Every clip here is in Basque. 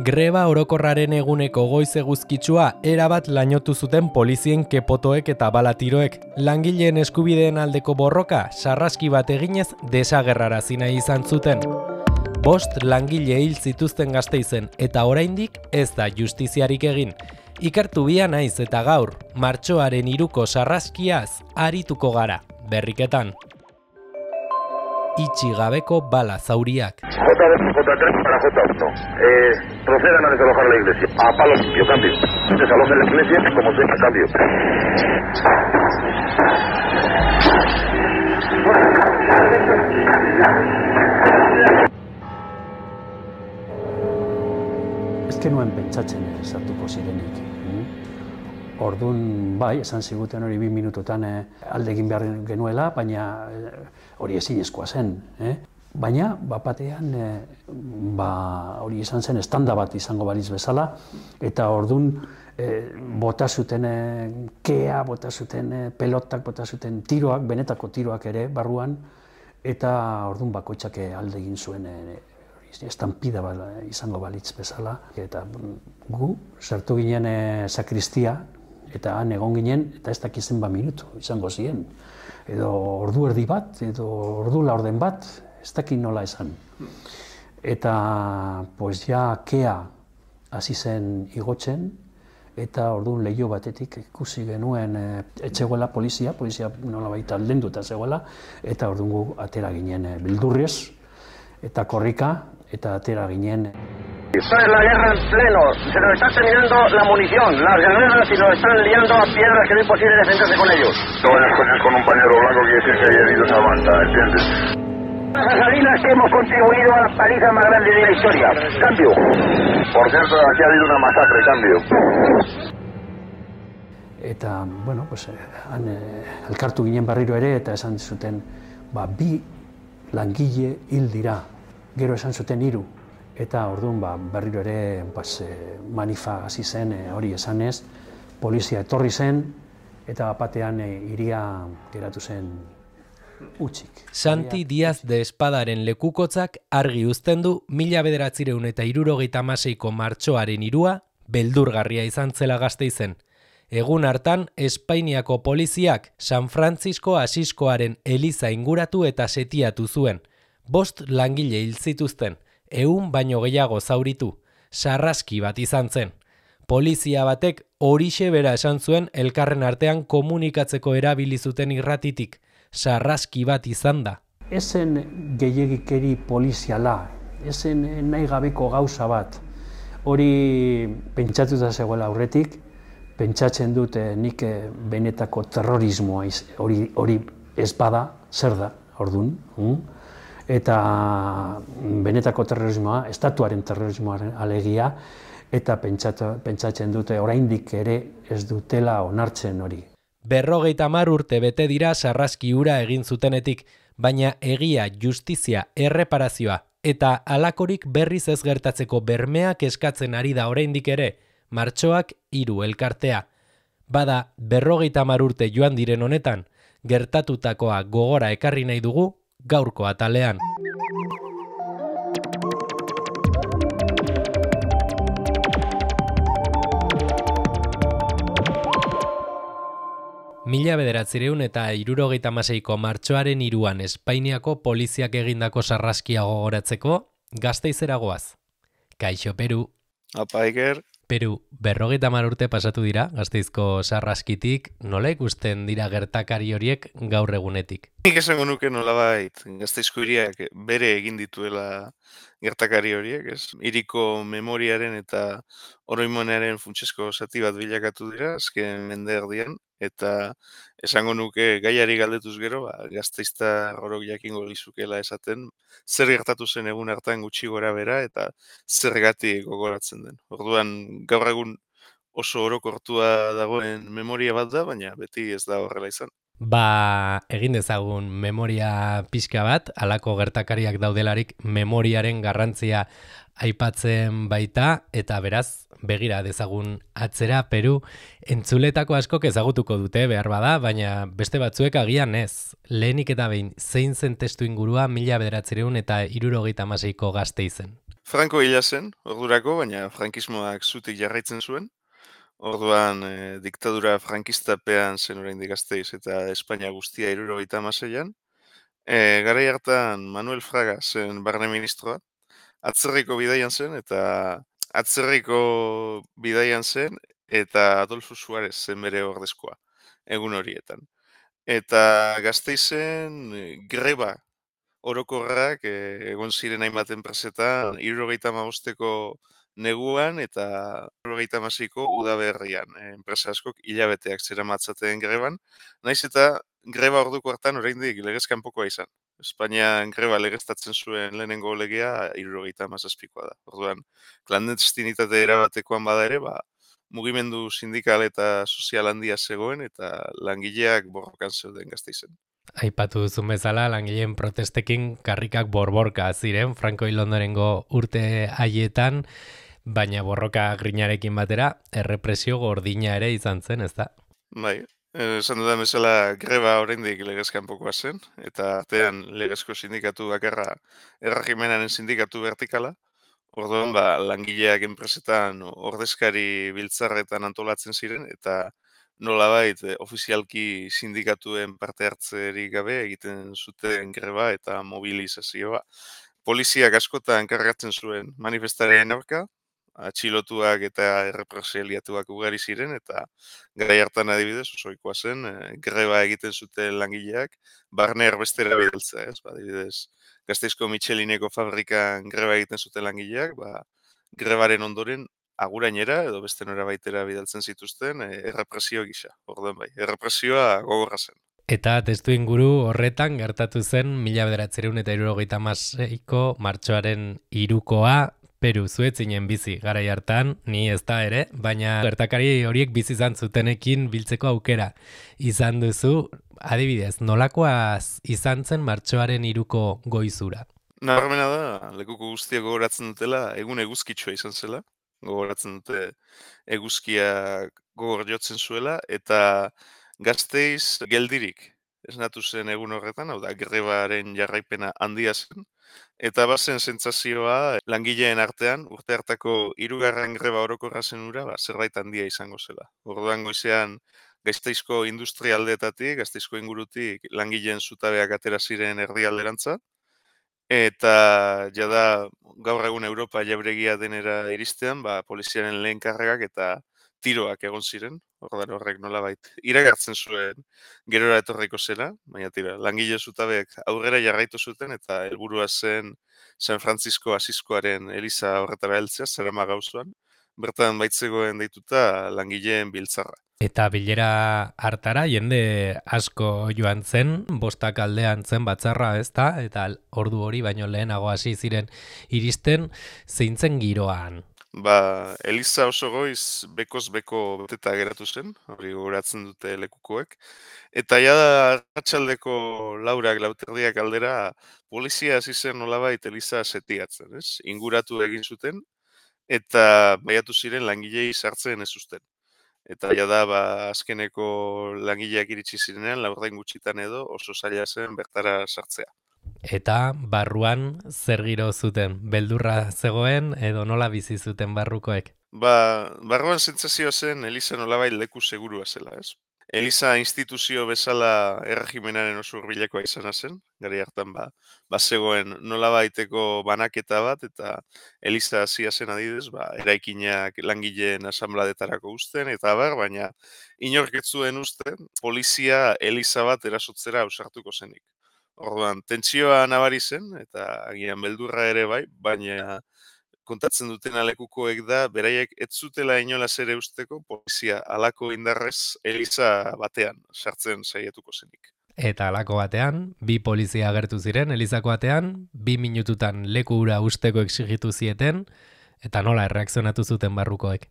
Greba orokorraren eguneko goiz eguzkitsua erabat lainotu zuten polizien kepotoek eta balatiroek. Langileen eskubideen aldeko borroka sarraski bat eginez desagerrarazi nahi izan zuten. 5 langile hil zituzten Gasteizen eta oraindik ez da justiziarik egin. Ikertu bia naiz eta gaur, martxoaren 3ko sarraskiaz arituko gara, berriketan. Itxi gabeko bala zauriak. J3 para J1. Procedan a desalojar la iglesia. A palo limpio, cambio. Desalojen la iglesia como sea, cambio. Ez genuen pentsatzen sartuko zirenik. Orduan, bai, esan ziguten hori 2 minututan alde egin behar genuela, baina hori ezinezkoa zen. Baina, bapatean, hori izan zen estanda bat izango balitz bezala, eta orduan bota zuten kea, bota zuten pelotak, bota zuten tiroak, benetako tiroak ere barruan, eta orduan bakoitzak alde egin zuen estampida izango balitz bezala. Eta gu sartu ginen sakristia, eta han egon ginen, eta ez dakizen minutu izango ziren. Edo ordu erdi bat, edo ordu laurden bat, ez dakit nola esan. Eta, pues ja, kea hasi zen igotzen, eta orduan leiho batetik ikusi genuen etzegoela polizia nolabait aldenduta zegoela, eta orduan gu atera ginen bildurrez, eta korrika, eta atera ginen. Esta es la guerra en pleno, se nos está terminando la munición, las granadas y nos están liando a piedras que no es imposible defenderse con ellos. Todos los coches con un pañuelo blanco quiere decir que hay heridos a banda, ¿entiendes? Las asalinas que hemos contribuido a la paliza más grande de la historia. Cambio. Por cierto, aquí ha habido una masacre, cambio. Eta, bueno, pues, han elkartu ginen berriro ere, eta esan zuten, 2 langile hil dira, gero esan zuten 3. Eta orduan berriro ere manifa hasi zen hori esanez, polizia etorri zen, eta batean hiria geratu zen utzik. Santi Díaz de Espadaren lekukotzak argi uzten du 1976ko martxoaren 3 beldurgarria izan zela Gasteizen. Egun hartan, Espainiako poliziak San Francisco Asiskoaren eliza inguratu eta setiatu zuen. 5 langile hil zituzten. 100 baino gehiago zauritu, sarraski bat izan zen. Polizia batek horixe bera esan zuen elkarren artean komunikatzeko erabili zuten irratitik, sarraski bat izan da. Ezen gehiegikeri poliziala, ezen nahi gabeko gauza bat. Hori pentsatuta zegoela aurretik, pentsatzen dut nik benetako terrorismoa hori ez bada, zer da, orduan. Eta benetako terrorismoa, estatuaren terrorismoaren alegia, eta pentsatzen dute oraindik ere ez dutela onartzen hori. 50 urte bete dira sarraski hura egin zutenetik, baina egia, justizia, erreparazioa eta halakorik berriz ez gertatzeko bermeak eskatzen ari da oraindik ere, martxoak 3 elkartea. Bada 50 urte joan diren honetan, gertatutakoa gogora ekarri nahi dugu, gaurko atalean. Mila 1976ko martxoaren 3 Espainiako poliziak egindako sarraskia gogoratzeko, Gasteizera goaz. Kaixo, Peru. Apa, Iker. Peru, 50 urte pasatu dira, Gasteizko sarraskitik, nola ikusten dira gertakari horiek gaur egunetik? Nik esango nuke nolabait, Gasteizko hiriak bere egin dituela gertakari horiek, ez? Hiriko memoriaren eta oroimenaren funtsezko zati bat bilakatu dira, azken mende erdian, eta esango nuke gaiari galdetuz gero, Gasteiztar orok jakingo lizukela esaten, zer gertatu zen egun hartan gutxi gora bera eta zergatik gogoratzen den. Orduan gaur egun oso orokortua dagoen memoria bat da, baina beti ez da horrela izan. Egin dezagun memoria pixka bat, halako gertakariak daudelarik memoriaren garrantzia aipatzen baita, eta beraz, begira dezagun atzera, Peru, entzuletako askok ezagutuko dute behar bada, baina beste batzuek agian ez. Lehenik eta behin, zein zen testu ingurua 1976ko Gasteizen? Franco hila zen, ordurako, baina frankismoak zutik jarraitzen zuen. Orduan, diktadura frankistapean zen oraindik Gasteiz eta Espainia guztia 76an. Garai hartan Manuel Fraga zen barne ministroa, atzerriko bidaian zen eta Adolfo Suarez zen bere ordezkoa egun horietan. Eta Gasteizen greba orokorrak egon ziren hainbat enpresetan 75ko neguan eta 76ko udaberrian. Enpresa askok hilabeteak zeramatzaten greban, naiz eta greba orduko hartan oraindik legez kanpokoa izan. Espainian greba legeztatzen zuen lehenengo legea 77koa da. Orduan, klandestinitate erabatekoan bada ere, mugimendu sindikal eta sozial handia zegoen eta langileak borrokan zeuden Gasteizen. Aipatu duzun bezala, langileen protestekin karrikak borborka ziren Franco hil ondorengo urte haietan, baina borroka grinarekin batera, errepresio gordina ere izan zen, ez da? Bai, esan dudan bezala greba oraindik legez kanpokoa zen, eta artean legezko sindikatu bakarra erregimenaren sindikatu vertikala. Orduan, langileak enpresetan ordezkari biltzarretan antolatzen ziren, eta nolabait ofizialki sindikatuen parte hartzerik gabe egiten zuten greba eta mobilizazioa. Poliziak askotan kargatzen zuen manifestarien aurka, atxilotuak eta errepresaliatuak ugari ziren, eta garai hartan adibidez, osoikoa zen, greba egiten zuten langileak, barne erbestera bidaltzea, ez? Adibidez, Gasteizko Michelineko fabrikan greba egiten zuten langileak, grebaren ondoren agurainera edo beste norabaitera bidaltzen zituzten errepresio gisa. Orduan bai, errepresioa gogorra zen. Eta testu inguru horretan gertatu zen 1976ko martxoaren 3koa Peru zuetzinen bizi garai hartan, ni ez da ere, baina gertakari horiek bizi izan zutenekin biltzeko aukera izan duzu. Adibidez, nolakoaz izan zen martxoaren 3ko goizura? Nabarmena da, lekuko guztiak gogoratzen dutela, egun eguzkitsua izan zela, gogoratzen dute eguzkia gogor jotzen zuela, eta Gasteiz geldirik esnatu zen egun horretan, hau da, grebaren jarraipena handia zen, eta bazen sentsazioa langileen artean, urte hartako 3. greba orokorra zen ura, zerbait handia izango zela. Orduan goizean, Gasteizko industrialdeetatik, Gasteizko ingurutik langileen zutabeak atera ziren erdialderantza, eta jada gaur egun Europa jauregia denera iristean, poliziaren lehen karregak eta tiroak egon ziren, ordan horrek nolabait iragartzen zuen gerora etorriko zela, baina tira, langile zutabeek aurrera jarraitu zuten eta helburua zen San Francisco Asiskoaren eliza horretara heltzea, Zerama gauzuan, bertan baitzegoen deituta langileen biltzarra. Eta bilera hartara jende asko joan zen, 5 aldean zen batzarra, ez da? Eta ordu hori baino lehenago hasi ziren iristen, zeintzen giroan? Eliza oso goiz bekoz beko beteta geratu zen, hori gogoratzen dute lekukoek. Eta jada arratsaldeko 4:00 aldera polizia hasi zen nolabait eliza setiatzen, ez? Inguratu egin zuten eta baiatu ziren langilei sartzen ez uzten. Eta jada azkeneko langileak iritsi zirenean, 4 gutxitan edo oso zaila zen bertara sartzea. Eta barruan zer giro zuten? Beldurra zegoen edo nola bizi zuten barrukoek? Barruan sentsazioa zen Eliza nolabait leku segurua zela, ez? Eliza instituzio bezala erregimenaren oso hurbilekoa izana zen, gari hartan zegoen nolabaiteko banaketa bat, eta Eliza hasia zen adidez, eraikinak langileen asanbladetarako uzten, eta baina inork ez zuen uzten, polizia Eliza bat erasotzera ausartuko zenik. Orduan, tentsioa nabari zen, eta agian beldurra ere bai, baina kontatzen duten lekukoek da, beraiek ez zutela inolaz ere usteko polizia halako indarrez Eliza batean sartzen saiatuko zenik. Eta halako batean, 2 polizia agertu ziren Elizako batean, 2 minututan leku hura usteko exigitu zieten, eta nola erreakzionatu zuten barrukoek?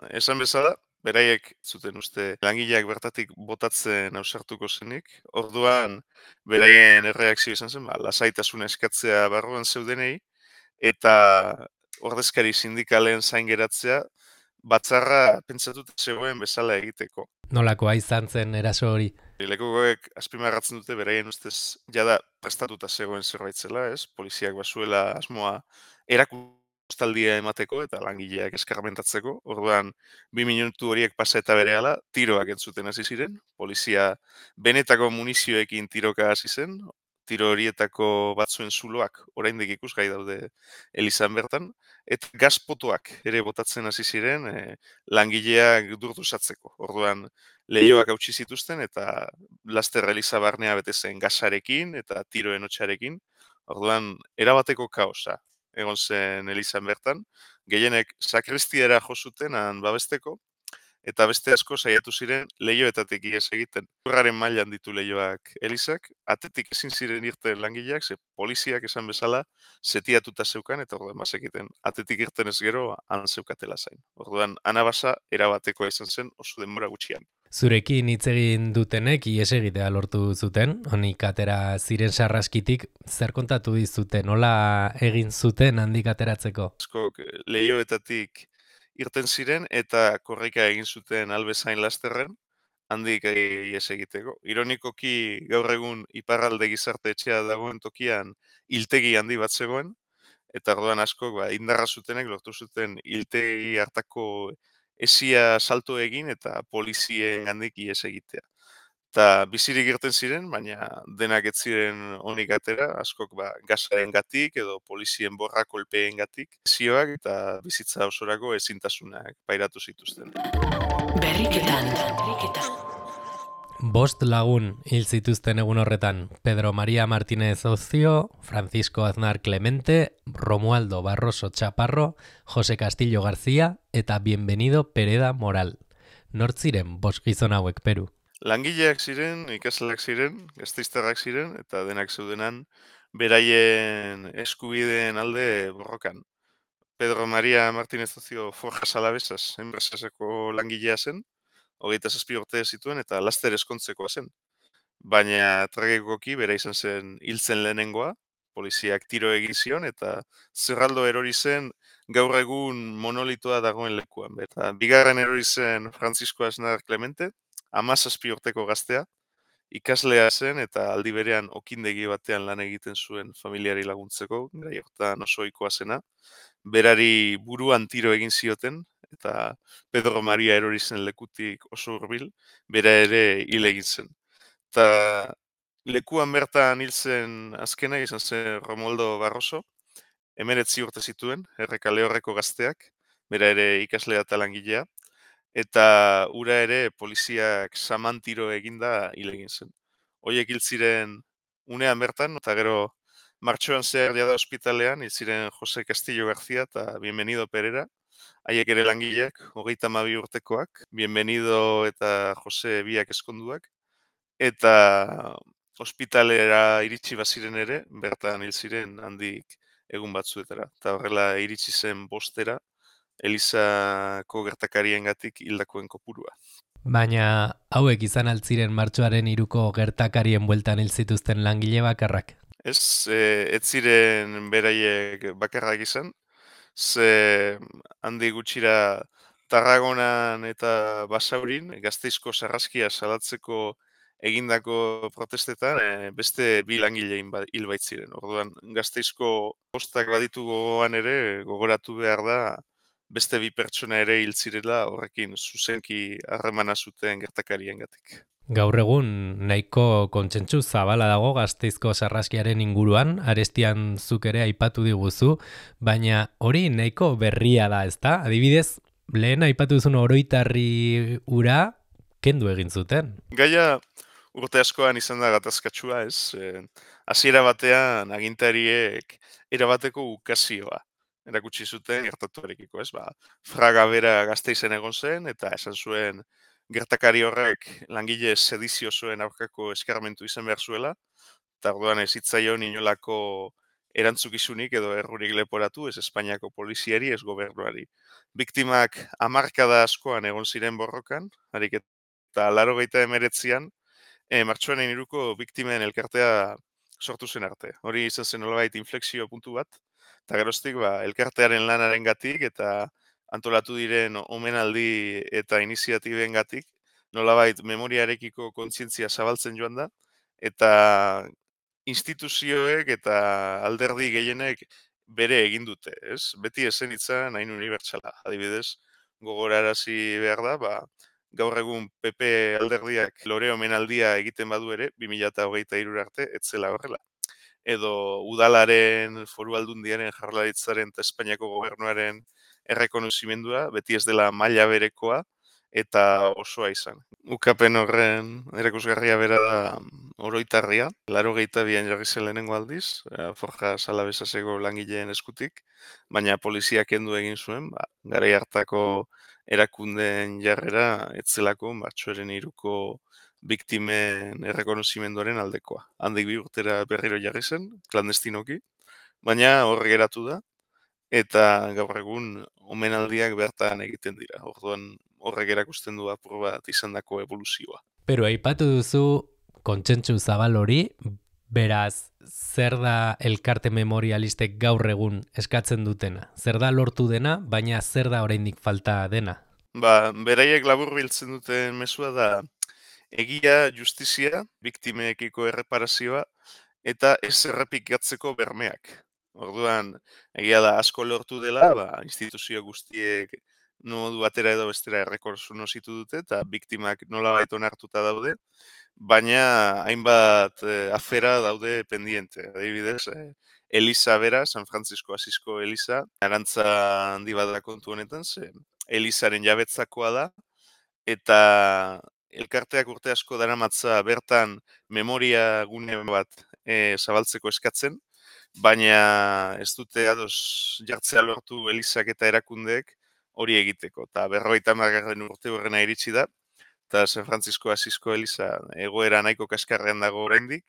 Esan bezala, beraiek zuten uste langileak bertatik botatzen ausartuko zenik. Orduan, beraien erreakzio izan zen, lasaitasuna eskatzea barruan zeudenei, eta ordezkari sindikalen zain geratzea, batzarra pentsatuta zegoen bezala egiteko. Nolakoa izan zen eraso hori? Lekukoek azpimarratzen dute beraien ustez jada prestatuta zegoen zerbait zela, ez? Poliziak basuela asmoa erakustaldia emateko eta langileak eskarmentatzeko. Orduan, 2 minutu horiek pasa eta berehala tiroak entzuten hasi ziren. Polizia benetako munizioekin tiroka hasi zen. Tiro horietako batzuen zuloak oraindik ikusgai daude elizan bertan. Eta gazpotoak ere botatzen hasi ziren langileak durdusatzeko. Orduan, leihoak hautsi zituzten eta laster eliza barnea bete zen gasarekin eta tiroen hotsarekin. Orduan, erabateko kaosa egon zen elizan bertan. Gehienek sakristiara jo zuten han babesteko, eta beste asko saiatu ziren leihoetatik ihes egiten. Urraren mailan ditu leihoak elizak, atetik ezin ziren irten langileak, ze poliziak esan bezala setiatuta zeukan, eta orduan bazekiten atetik irten ez gero han zeukatela zain. Orduan, anabasa erabatekoa izan zen oso denbora gutxian. Zurekin hitz egin dutenek ihes egitea lortu zuten, honik atera ziren sarraskitik, zer kontatu dizuten, nola egin zuten handik ateratzeko? Askok leihoetatik irten ziren eta korrika egin zuten albezain lasterren, handik ihes egiteko. Ironikoki gaur egun iparralde gizarte etxea dagoen tokian hiltegi handi bat zegoen, eta orduan askok indarra zutenek lortu zuten hiltegi hartako esia salto egin eta polizien handik ihes egitea. Eta bizirik irten ziren, baina denak ez ziren onik atera, askok gasaren gatik edo polizien borra kolpeen gatik, zioak eta bizitza osorako ezintasunak pairatu zituzten. Berriketan. Bost lagun hil zituzten egun horretan, Pedro María Martínez Ocio, Francisco Aznar Clemente, Romualdo Barroso Chaparro, José Castillo García eta Bienvenido Pereda Moral. Nortziren bost gizon hauek, Peru? Langileak ziren, ikasleak ziren, gasteiztarrak ziren, eta denak zeudenan beraien eskubideen alde borrokan. Pedro María Martínez Ocio Forjas Alavesas enpresaseko langilea zen, 27 urte zituen eta laster eskontzekoa zen. Baina tragikoki bera izan zen hiltzen lehenengoa, poliziak tiro egin zion eta zerraldo erori zen gaur egun monolitoa dagoen lekuan. Eta bigarren erori zen Francisco Aznar Clemente, 17 urteko gaztea, ikaslea zen eta aldi berean okindegi batean lan egiten zuen familiari laguntzeko, garai hortan oso ohikoa zena. Berari buruan tiro egin zioten, eta Pedro Maria erori zen lekutik oso hurbil, bera ere hil egin zen. Eta lekuan bertan hil zen azkena izan zen Romualdo Barroso, 19 urte zituen, Errekale horreko gazteak, bera ere ikaslea eta langilea, eta ura ere poliziak saman tiro eginda hil egin zen. Horiek hil ziren unean bertan, eta gero martxoan zehar jada ospitalean, hil ziren José Castillo García eta Bienvenido Perera, haiek ere langileak, 32 urtekoak, Bienvenido eta José biak eskonduak, eta ospitalera iritsi baziren ere, bertan hil ziren handik egun batzuetara. Eta horrela iritsi zen bostera, Elizako gertakariengatik hildakoen kopurua. Baina hauek izan altziren martxoaren 3ko gertakarien bueltan hil zituzten langile bakarrak. Ez ziren beraiek bakarrak izan, ze handi gutxira Tarragonan eta Basaurin, Gasteizko sarraskia salatzeko egindako protestetan beste 2 langile hil baitziren. Orduan, Gasteizko postak baditu gogoan ere, gogoratu behar da, beste 2 pertsona ere hil zirela horrekin zuzenki harremana zuten gertakariengatik. Gaur egun nahiko kontsentsu zabala dago Gasteizko sarraskiaren inguruan, arestian zuk ere aipatu diguzu, baina hori nahiko berria da, ezta? Adibidez, lehen aipatu duzun oroitarri ura kendu egin zuten. Gaia urte askoan izan da gatazkatsua, ez? Hasiera batean agintariek erabateko ukazioa erakutsi zuten gertatuarekiko, ez? Fraga bera Gasteizen egon zen eta esan zuen gertakari horrek langile sediziosoen aurkako eskarmentu izan behar zuela, eta orduan ez zitzaion inolako erantzukizunik edo errurik leporatu, ez Espainiako poliziari, ez gobernuari. Biktimak hamarkada askoan egon ziren borrokan, harik eta 89an, martxoaren 3ko biktimen elkartea sortu zen arte. Hori izan zen nolabait inflexio puntu bat, eta geroztik elkartearen lanaren gatik eta antolatu diren omenaldi eta iniziatiben gatik, nolabait memoriarekiko kontzientzia zabaltzen joan da, eta instituzioek eta alderdi gehienek bere egin dute, ez? Beti esen itzan hain unibertsala. Adibidez, gogorarazi behar da, gaur egun PP alderdiak lore omenaldia egiten badu ere, 2023 arte, etzela horrela. Edo udalaren, foru aldundiaren, Jaurlaritzaren eta Espainiako gobernuaren errekonozimendua, beti ez dela maila berekoa eta osoa izan. Ukapen horren erakusgarria bera da oroitarria, 82an jarri zen lehenengo aldiz, Forja Salabesaseko langileen eskutik, baina poliziak kendu egin zuen, garai hartako erakundeen jarrera etzelako martxoaren 3ko biktimen errekonozimenduaren aldekoa. Handik 2 urtera berriro jarri zen, klandestinoki, baina hor geratu da, eta gaur egun omenaldiak bertan egiten dira. Orduan horrek erakusten du apur bat izandako evoluzioa. Pero aipatu duzu kontsentsu zabal hori, beraz, zer da elkarte memorialistek gaur egun eskatzen dutena? Zer da lortu dena, baina zer da oraindik falta dena? Beraiek laburbiltzen duten mezua da egia, justizia, biktimekiko erreparazioa, eta ez errepikatzeko bermeak. Orduan, egia da asko lortu dela, instituzio guztiek modu batera edo bestera errekonozitu dute, eta biktimak nolabait onartuta daude, baina hainbat afera daude pendiente. Adibidez, Eliza bera, San Francisco Asisko Eliza, arantza handi bat da kontu honetan, Elizaren jabetzakoa da, eta elkarteak urte asko daramatza bertan memoria gune bat zabaltzeko eskatzen, baina ez dute ados jartzea lortu Elizak eta erakundeek hori egiteko. Eta 50. urte horrena iritsi da, eta San Francisco Asisko Eliza egoera nahiko kaskarrean dago oraindik,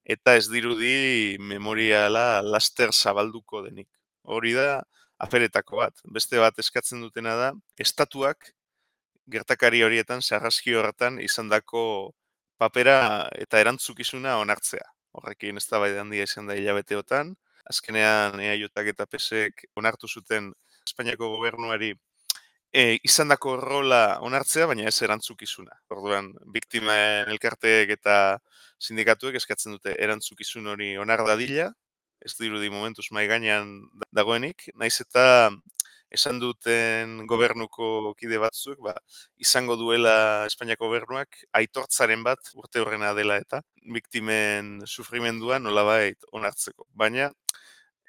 eta ez dirudi memoriala laster zabalduko denik. Hori da aferetako bat. Beste bat eskatzen dutena da, estatuak gertakari horietan, sarraski horretan izandako papera eta erantzukizuna onartzea. Horrekin eztabaida handia izan da hilabeteotan. Azkenean EAJak eta PSek onartu zuten Espainiako gobernuari izandako rola onartzea, baina ez erantzukizuna. Orduan, biktimen elkarteek eta sindikatuek eskatzen dute erantzukizun hori onar dadila, ez dirudi momentuz mahai gainean dagoenik, naiz eta esan duten gobernuko kide batzuk, izango duela Espainiako gobernuak aitortzaren bat urte horrena dela eta biktimen sufrimendua nolabait onartzeko. Baina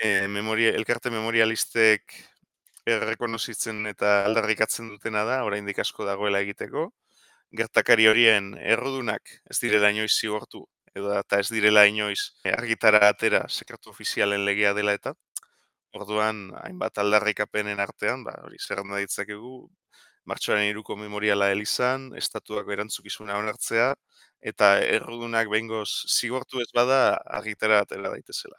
elkarte memorialistek errekonozitzen eta aldarrikatzen dutena da, oraindik asko dagoela egiteko, gertakari horien errudunak ez direla inoiz zigortu, eta ez direla inoiz argitara atera sekretu ofizialen legea dela eta, orduan, hainbat aldarrikapenen artean, hori zerrenda ditzakegu, martxoaren 3ko memoriala Elizan, estatuako erantzukizuna onartzea, eta errudunak behingoz zigortu ez bada argitara atera daitezela.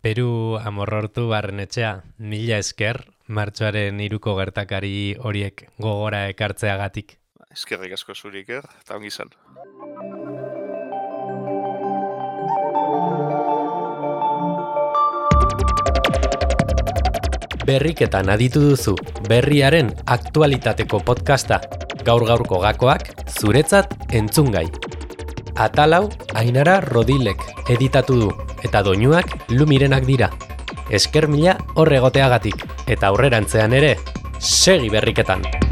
Peru Amorrortu Barrenetxea, mila esker, martxoaren 3ko gertakari horiek gogora ekartzeagatik. Eskerrik asko zuri, Iker, eta ongi izan. Berriketan aditu duzu, berriaren aktualitateko podcasta, gaur-gaurko gakoak, zuretzat entzungai. Atalau, Ainara Rodilek editatu du, eta doinuak Lumirenak dira. Esker mila horregoteagatik, eta aurrerantzean ere, segi berriketan!